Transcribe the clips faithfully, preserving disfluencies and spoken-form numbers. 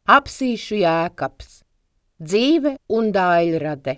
Apsīšu Jēkabs. Dzīve un daļrade.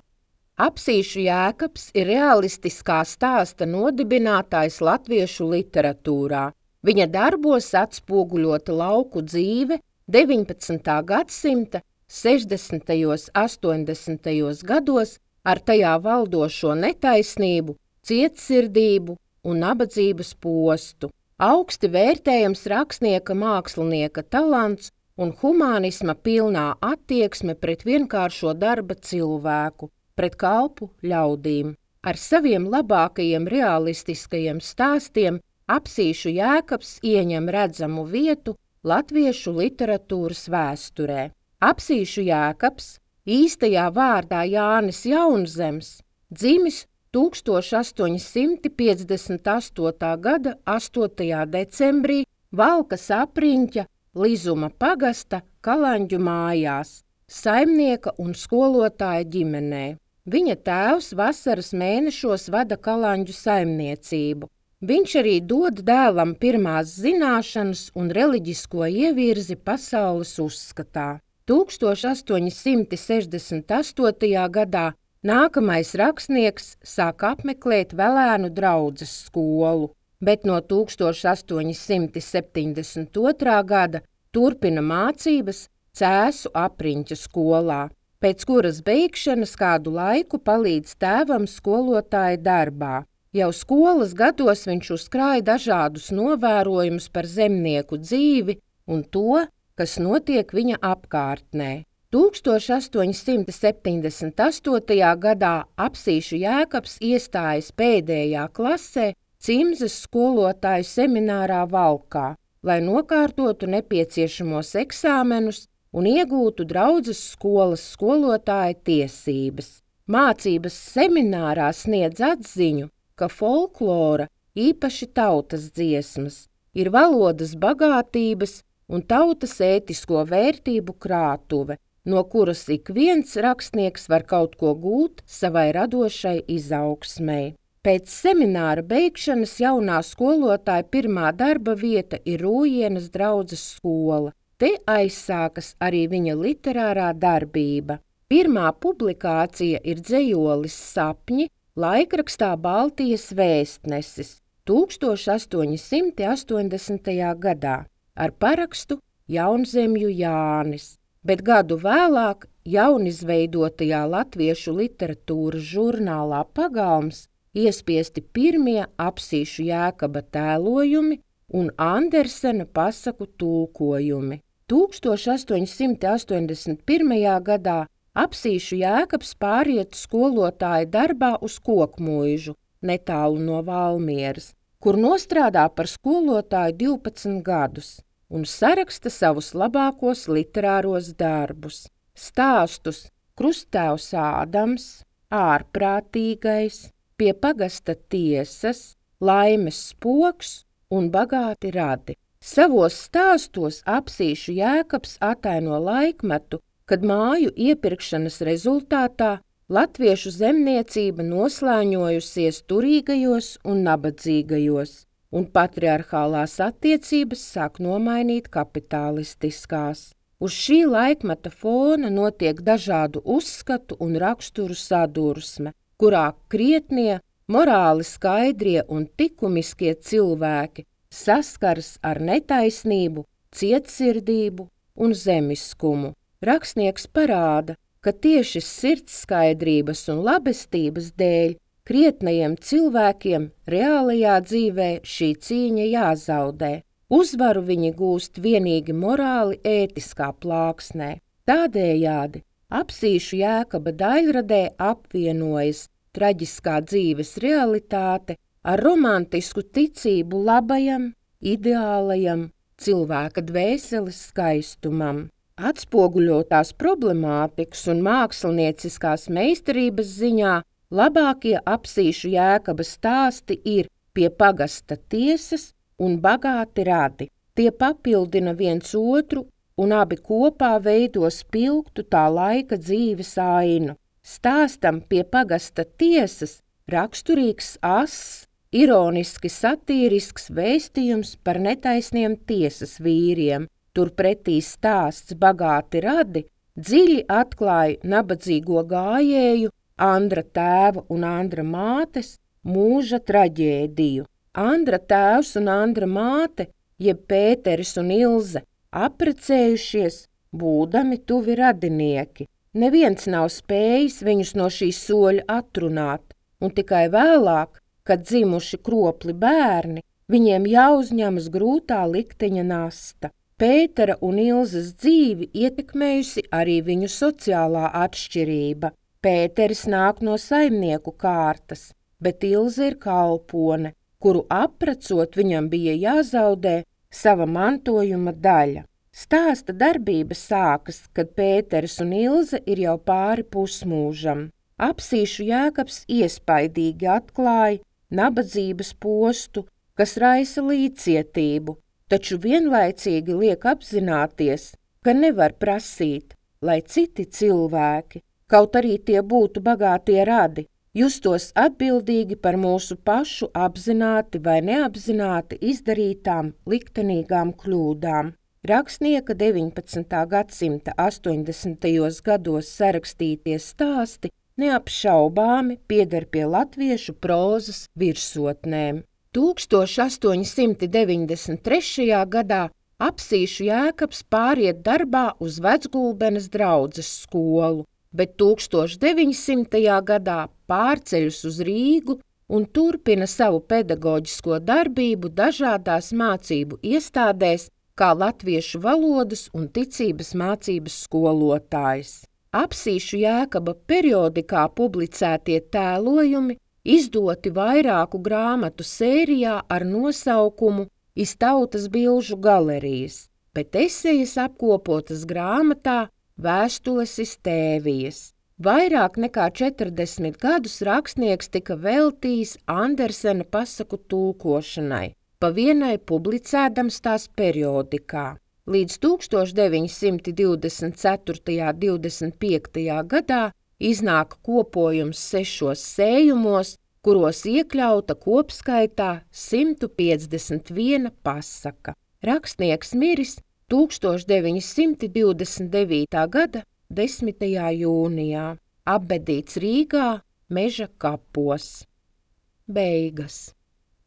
Apsīšu Jēkabs ir realistiskā stāsta nodibinātājs latviešu literatūrā. Viņa darbos atspoguļota lauku dzīve deviņpadsmitā gadsimta sešdesmitajos, astoņdesmitajos gados ar tajā valdošo netaisnību, cietsirdību un nabadzības postu. Augsti vērtējams rakstnieka mākslinieka talants un humānisma pilnā attieksme pret vienkāršo darba cilvēku, pret kalpu ļaudīm. Ar saviem labākajiem realistiskajiem stāstiem Apsīšu Jēkabs ieņem redzamu vietu latviešu literatūras vēsturē. Apsīšu Jēkabs, īstajā vārdā Jānis Jaunzems, dzimis tūkstoš astoņi simti piecdesmit astotā gada astotajā decembrī Valkas apriņķa Lizuma pagasta Kalanģu mājās, saimnieka un skolotāja ģimenē. Viņa tēvs vasaras mēnešos vada Kalanģu saimniecību. Viņš arī dod dēlam pirmās zināšanas un reliģisko ievirzi pasaules uzskatā. tūkstoš astoņi simti sešdesmit astotajā gadā nākamais rakstnieks sāk apmeklēt Velēnu draudzes skolu, bet no tūkstoš astoņi simti septiņdesmit otrā gada turpina mācības Cēsu apriņķa skolā, pēc kuras beigšanas kādu laiku palīdz tēvam skolotāja darbā. Jau skolas gados viņš uzkrāja dažādus novērojumus par zemnieku dzīvi un to, kas notiek viņa apkārtnē. tūkstoš astoņi simti septiņdesmit astotajā gadā Apsīšu Jēkabs iestājas pēdējā klasē Cimzes skolotāju seminārā Valkā, lai nokārtotu nepieciešamos eksāmenus un iegūtu draudzes skolas skolotāja tiesības. Mācības seminārā sniedz atziņu, ka folklora, īpaši tautas dziesmas, ir valodas bagātības un tautas ētisko vērtību krātuve, no kuras ik viens rakstnieks var kaut ko gūt savai radošai izaugsmei. Pēc semināra beigšanas jaunā skolotāja pirmā darba vieta ir Rūjienas draudzes skola. Te aizsākas arī viņa literārā darbība. Pirmā publikācija ir dzejolis Sapņi laikrakstā Baltijas vēstnesis tūkstoš astoņi simti astoņdesmitajā gadā ar parakstu Jaunzemju Jānis, bet gadu vēlāk jaunizveidotajā latviešu literatūras žurnālā Pagalms iespiesti pirmie Apsīšu Jēkaba tēlojumi un Andersena pasaku tulkojumi. tūkstoš astoņi simti astoņdesmit pirmajā gadā Apsīšu Jēkabs pāriet skolotāja darbā uz Kokmuižu, netālu no Valmieras, kur nostrādā par skolotāju divpadsmit gadus un saraksta savus labākos literāros darbus. Stāstus Krusttēvs Ādams, Ārprātīgais, Pie pagasta tiesas, Laimes spoks un Bagāti radi. Savos stāstos Apsīšu Jēkabs ataino laikmetu, kad māju iepirkšanas rezultātā latviešu zemniecība noslēņojusies turīgajos un nabadzīgajos, un patriarchālās attiecības sāk nomainīt kapitālistiskās. Uz šī laikmeta fona notiek dažādu uzskatu un raksturu sadursme, kurā krietnie, morāli skaidrie un likumiskie cilvēki saskars ar netaisnību, cietsirdību un zemiskumu. Rakstnieks parāda, ka tieši sirdskaidrības un labestības dēļ krietnajiem cilvēkiem reālajā dzīvē šī cīņa jāzaudē. Uzvaru viņi gūst vienīgi morāli ētiskā plāksnē. Tādējādi Apsīšu Jēkaba daļradē apvienojas traģiskā dzīves realitāte ar romantisku ticību labajam, ideālajam, cilvēka dvēseles skaistumam. Atspoguļotās problemātikas un mākslinieciskās meistarības ziņā labākie Apsīšu Jēkaba stāsti ir Pie pagasta tiesas un Bagāti radi. Tie papildina viens otru un abi kopā veido spilgtu tā laika dzīves ainu. Stāstam Pie pagasta tiesas raksturīgs ass, ironiski satīrisks vēstījums par netaisniem tiesas vīriem, Turpretī stāsts Bagāti radi dziļi atklāja nabadzīgo gājēju, Andra tēva un Andra mātes mūža traģēdiju. Andra tēvs un Andra māte, jeb Pēteris un Ilze, apprecējušies, būdami tuvi radinieki. Neviens nav spējis viņus no šī soļa atrunāt, un tikai vēlāk, kad dzimuši kropli bērni, viņiem jāuzņemas grūtā likteņa nasta. Pētera un Ilzes dzīvi ietekmējusi arī viņu sociālā atšķirība. Pēteris nāk no saimnieku kārtas, bet Ilze ir kalpone, kuru apprecot viņam bija jāzaudē sava mantojuma daļa. Stāsta darbība sākas, kad Pēteris un Ilze ir jau pāri pusmūžam. Apsīšu Jēkabs iespaidīgi atklāja nabadzības postu, kas raisa līdzcietību, taču vienlaicīgi liek apzināties, ka nevar prasīt, lai citi cilvēki, kaut arī tie būtu bagātie radi, justos atbildīgi par mūsu pašu apzināti vai neapzināti izdarītām liktenīgām kļūdām. Rakstnieka deviņpadsmitā gadsimta astoņdesmitajos gados sarakstītie stāsti neapšaubāmi pieder pie latviešu prózas virsotnēm. tūkstoš astoņi simti deviņdesmit trešajā gadā Apsīšu Jēkabs pāriet darbā uz Vecgulbenes draudzes skolu, bet tūkstoš deviņsimtajā gadā pārceļas uz Rīgu un turpina savu pedagoģisko darbību dažādās mācību iestādēs kā latviešu valodas un ticības mācības skolotājs. Apsīšu Jēkaba periodikā publicētie tēlojumi izdoti vairāku grāmatu sērijā ar nosaukumu Iz tautas bilžu galerijas, bet esejas apkopotas grāmatā Vēstules iz Tēvijas. Vairāk nekā četrdesmit gadus rakstnieks tika veltījis Andersena pasaku tulkošanai, pa vienai publicēdams tās periodikā. Līdz tūkstoš deviņi simti divdesmit ceturtajā un divdesmit piektajā gadā iznāk kopojums sešos sējumos, kuros iekļauta kopskaitā simt piecdesmit viena pasaka. Rakstnieks miris tūkstoš deviņi simti divdesmit devītā gada desmitajā jūnijā, apbedīts Rīgā Meža kapos. Beigas.